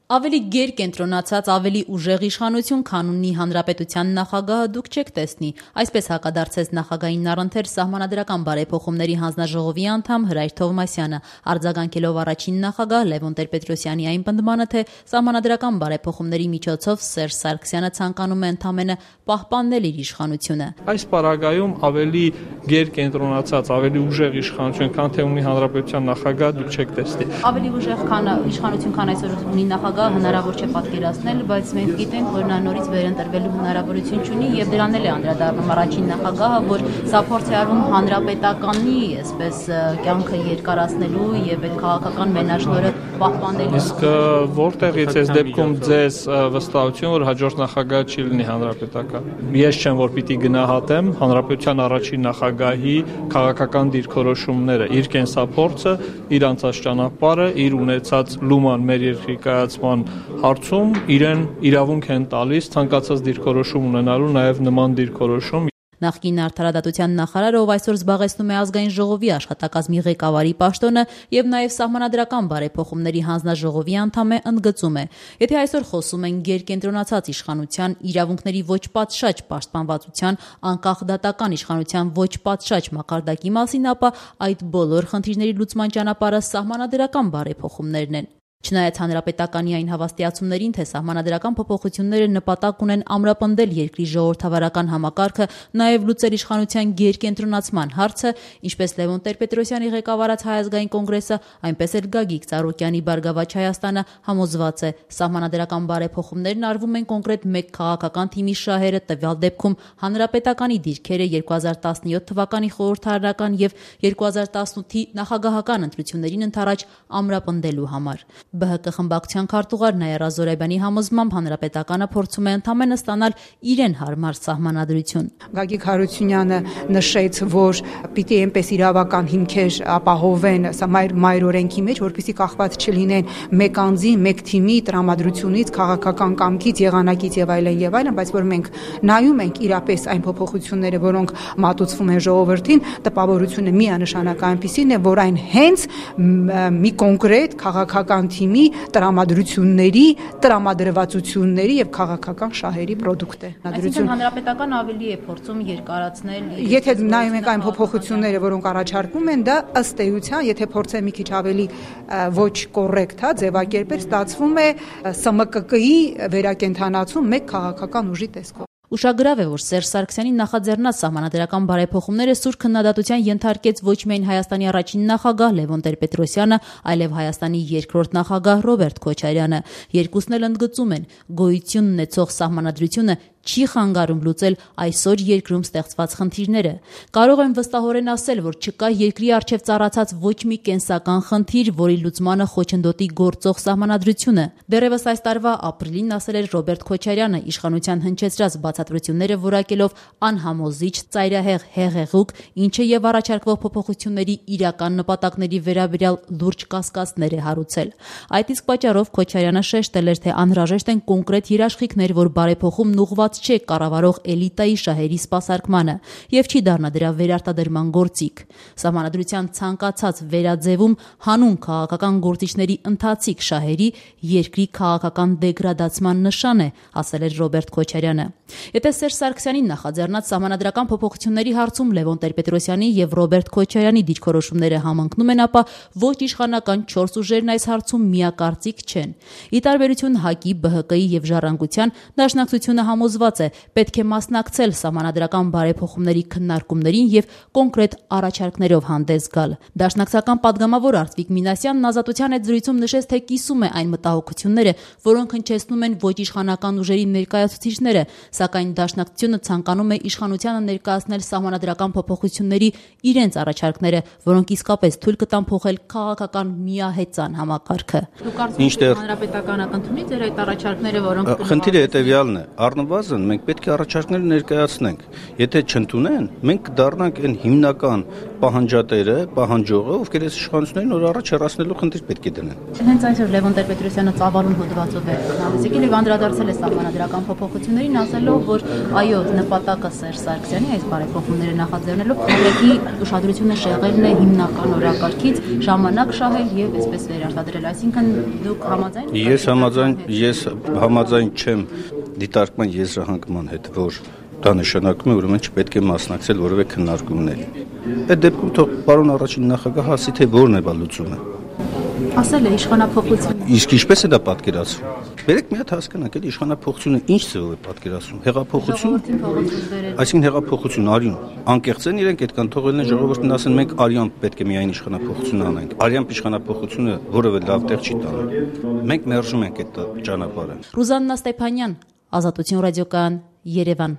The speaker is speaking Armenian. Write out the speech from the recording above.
Ավելի գերկենտրոնացած, ավելի ուժեղ իշխանություն, քան ունի Հանրապետության նախագահը, դուք չեք տեսնի, այսպես հակադարձեց նախագահին առընթեր Սահմանադրական բարեփոխումների հանձնաժողովի անդամ Հրայր Թովմասյանը, արձագանքելով առաջին նախագահ Լևոն Տեր-Պետրոսյանի այն պնդմանը, թե Սահմանադրական բարեփոխումների միջոցով Սերժ Սարգսյանը ցանկանում է ընդամենը պահպանել իր իշխանությունը։ Այս պարագայում ավելի գերկենտրոնացած, ավելի ուժեղ իշխանություն, քան թե ունի Հանրապետության նախագահը, դուք չեք տեսնի։ Ավելի ուժեղ իշխանություն, քան այսօր ունի նախագահը, հնարավոր չէ պատկերացնել, բայց մենք գիտենք, որ նա նորից վերընտրվելու հնարավորություն չունի եւ դրան էլ է անդրադառնում առաջին նախագահը, որ սա փորձ է արվում հանրապետականի, այսպես կյանքը երկարացնելու եւ այդ քաղաքական մենաշնորհը պահպանելու։ Իսկ որտեղից այս դեպքում ձեզ վստահություն, որ հաջորդ նախագահը չի լինի հանրապետական։ Ես չեմ, որ պիտի գնահատեմ հանրապետության առաջին նախագահի քաղաքական դիրքորոշումները, իր կենսափորձը, իր անցած ճանապարհը, իր ունեցած լուման մեր երկրի կայացման հարցում իրեն իրավունք են տալիս ցանկացած դիրքորոշում ունենալու, նաև նման դիրքորոշում։ Նախկին արդարադատության նախարարը, ով այսօր զբաղեցնում է ազգային ժողովի աշխատակազմի ղեկավարի պաշտոնը եւ նաեւ Սահմանադրական բարեփոխումների հանձնաժողովի անդամ է, ընդգծում է. Եթե այսօր խոսում են գերկենտրոնացած իշխանության, իրավունքների ոչ պատշաճ պաշտպանվածության, անկախ դատական իշխանության ոչ պատշաճ մակարդակի մասին, ապա այդ բոլոր խնդիրների լուծման ճանապարհը Սահմանադրական բարեփոխումներն են։ Չնայած հանրապետականի այն հավաստիացումներին, թե սահմանադրական փոփոխությունները նպատակ ունեն ամրապնդել երկրի ժողովրդավարական համակարգը, նաև լուծել իշխանության գերկենտրոնացման հարցը, ինչպես Լևոն Տեր-Պետրոսյանի ղեկավարած Հայ ազգային կոնգրեսը, այնպես էլ Գագիկ Ծառուկյանի Բարգավաճ Հայաստանը համոզված է, սահմանադրական բարեփոխումներն արվում են կոնկրետ մեկ քաղաքական թիմի շահերը, տվյալ դեպքում հանրապետականի դիրքերը 2017 թվականի խորհրդարանական եւ 2018-ի նախագահական ընտրություններին ընդառաջ ամրապնդելու համար։ ԲՀԿ խմբակցության քարտուղար Նայարա Զորայբյանի համոզմամբ հանրապետականը փորձում է ընդամենը ստանալ իրեն հարմար սահմանադրություն։ Գագիկ Հարությունյանը նշեց, որ պիտի այնպես իրավական հիմքեր ապահովեն մայր օրենքի մեջ, որպեսզի կախված չլինեն մեկ անձի, մեկ թիմի տրամադրությունից, քաղաքական կամքից, եղանակից եւ այլն, բայց որ մենք նայում ենք իրապես այն փոփոխությունները, որոնք մատուցվում են ժողովրդին, տպավորությունը միանշանակ այնպիսին է, որ այն հենց մի կոնկրետ քաղաքական թիմի տրամադրությունների, տրամադրվածությունների եւ քաղաքական շահերի պրոդուկտ է։ Այսինքն հանրապետական ավելի է փորձում երկարացնել։ Եթե նայում ենք այն փոփոխությունները, որոնք առաջարկվում են, դա ըստ էության, եթե փորձեն մի քիչ ավելի ոչ կոռեկտ ձևակերպել, ստացվում է ՍՄԿԿ-ի վերակենդանացում մեկ քաղաքական ուժի տեսքով։ Ուշագրավ է, որ Սերժ Սարգսյանի նախաձեռնած սահմանադրական բարեփոխումները սուր քննադատության ենթարկեց ոչ միայն Հայաստանի առաջին նախագահ Լևոն Տեր-Պետրոսյանը, այլև Հայաստանի երկրորդ նախագահ Ռոբերտ Քոչարյանը։ Երկուսն էլ ընդգծում են, գոյություն ունեցող սահմանադրությունը չի խանգարում լուծել այսօր երկրում ստեղծված խնդիրները։ Կարող եմ վստահորեն ասել, որ չկա երկրի առջև ծառացած ոչ մի կենսական խնդիր, որի լուծմանը խոչընդոտի գործող սահմանադրությունը։ Դեռևս այս տարվա ապրիլին ասել էր Ռոբերտ Քոչարյանը, իշխանության հնչեցրած բացատրությունները որակելով անհամոզիչ, ծայրահեղ հեղեղուկ, ինչը եւ առաջարկվող փոփոխությունների իրական նպատակների վերաբերյալ լուրջ կասկածներ է հարուցել։ Այդ իսկ պատճառով Քոչարյանը շեշտել էր, թե անհրաժեշտ են կոնկրետ երաշխիքներ, որ բարեփոխումն ուղղված չէ կառավարող էլիտայի շահերի սպասարկմանը եւ չի դառնա դրա վերարտադրման գործիք։ Սահմանադրության ցանկացած վերաձևում հանուն քաղաքական գործիչների ընթացիկ շահերի երկրի քաղաքական դեգրադացման նշան է, ասել էր Ռոբերտ Քոչարյանը։ Եթե Սերժ Սարգսյանի նախաձեռնած սահմանադրական փոփոխությունների հարցում Լևոն Տեր-Պետրոսյանի եւ Ռոբերտ Քոչարյանի դիրքորոշումները համընկնում են, ապա ոչ իշխանական 4 ուժերն այս հարցում միակարծիք չեն։ Ի տարբերություն ՀԱԿ-ի, ԲՀԿ-ի եւ Ժառանգության, Դաշնակցությունը համոզված է, պետք է մասնակցել սահմանադրական բարեփոխումների քննարկումներին եւ կոնկրետ առաջարկներով հանդես գալ։ Դաշնակցական падգամավոր Արտվիկ Մինասյանն Ազատության հետ զրույցում նշեց, թե կիսում է այն մտահոգությունները, որոնք հնչեցնում են ոչ իշխանական ուժերի ներկայացուցիչները, սակայն Դաշնակցությունը ցանկանում է իշխանությանը ներկայացնել սահմանադրական փոփոխությունների իրենց առաջարկները, որոնք իսկապես թույլ կտան փոխել քաղաքական միահեծան համակարգը։ Դուք կարծում եք հանրապետականը կընդունի ձեր այդ առաջարկները, որոնք խնդիրը հետեւյալն է, առնվազն առնվազն մենք պետք է առաջարկներ ներկայացնենք։ Եթե չընդունեն, մենք կդառնանք այն հիմնական պահանջատերը, պահանջողը, ովքեր այս իշխանություններին նոր առաջ հեռացնելու խնդիր պետք է դնեն։ Հենց այսօր Լևոն Տեր-Պետրոսյանը ծավալուն հոդվածով է եկել եւ անդրադարձել է սահմանադրական փոփոխություններին, ասելով, որ այո, նպատակը Սերժ Սարգսյանի այս բարեփոխումները նախաձեռնելով քաղաքի ուշադրությունը շեղելն է հիմնական օրակարգից, ժամանակ շահել եւ այսպես վերարտադրել։ Այսինքն դուք համաձայն Ես համաձայն չեմ դիտարկման եզրահանգման հետ, որ դա նշանակում է, ուրեմն չպետք է մասնակցել որևէ քննարկումների։ Այդ դեպքում թող պարոն առաջին նախագահ ասի, թե որն է լուծումը։ Ասել է իշխանափոխություն։ Իսկ ինչպես է դա պատկերացվում։ Բերեք մի հատ հասկանանք, այդ իշխանափոխությունը ինչ ձևով է պատկերացվում։ Հեղափոխություն։ Այսինքն հեղափոխություն արյուն։ Անկեղծ են իրենք այդքան թողելն է ժողովուրդն ասեն մենք արյան պետք է միայն իշխանափոխություն անենք։ Արյան իշխանափոխությունը որևէ լավ տեղ չի տանում։ Մենք մերժում ենք այդ ճանապարհը։ Ռուզաննա Ստեփանյան, Ազատություն ռադիոկայան, Երևան։